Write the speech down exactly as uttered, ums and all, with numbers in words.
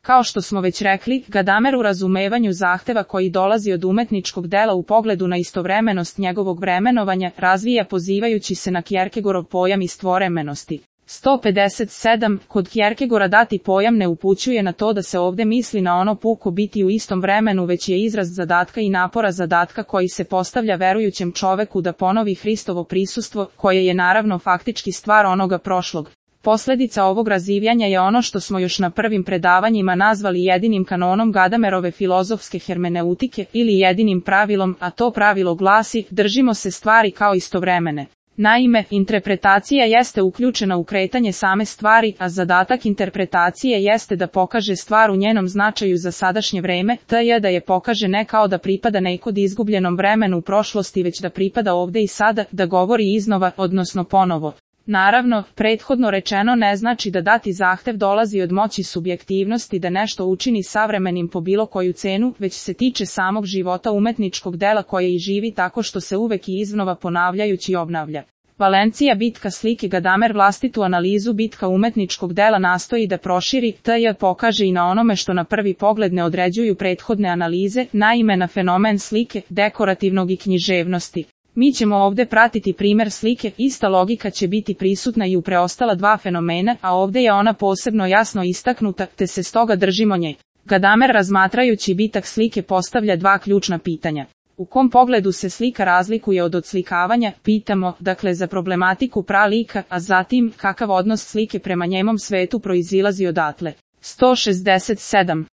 Kao što smo već rekli, Gadamer u razumevanju zahteva koji dolazi od umetničkog dela u pogledu na istovremenost njegovog vremenovanja razvija pozivajući se na Kierkegaardov pojam istovremenosti. sto pedeset sedam. Kod Kierkegaarda dati pojam ne upućuje na to da se ovdje misli na ono puko biti u istom vremenu, već je izraz zadatka i napora zadatka koji se postavlja verujućem čoveku da ponovi Hristovo prisustvo, koje je naravno faktički stvar onoga prošlog. Posljedica ovog razivljanja je ono što smo još na prvim predavanjima nazvali jedinim kanonom Gadamerove filozofske hermeneutike ili jedinim pravilom, a to pravilo glasi: držimo se stvari kao istovremene. Naime, interpretacija jeste uključena u kretanje same stvari, a zadatak interpretacije jeste da pokaže stvar u njenom značaju za sadašnje vreme, to je da je pokaže ne kao da pripada nekod izgubljenom vremenu u prošlosti, već da pripada ovdje i sada, da govori iznova, odnosno ponovo. Naravno, prethodno rečeno ne znači da dati zahtev dolazi od moći subjektivnosti da nešto učini savremenim po bilo koju cenu, već se tiče samog života umetničkog dela koje i živi tako što se uvek i iznova ponavljajući obnavlja. Valencija bitka slike Gadamer vlastitu analizu bitka umetničkog dela nastoji da proširi, te pokaže i na onome što na prvi pogled ne određuju prethodne analize, naime na fenomen slike, dekorativnog i književnosti. Mi ćemo ovdje pratiti primjer slike, ista logika će biti prisutna i u preostala dva fenomena, a ovdje je ona posebno jasno istaknuta, te se stoga držimo nje. Gadamer razmatrajući bitak slike postavlja dva ključna pitanja. U kom pogledu se slika razlikuje od odslikavanja, pitamo, dakle za problematiku pralika, a zatim, kakav odnos slike prema njemom svetu proizilazi odatle. sto šezdeset sedam.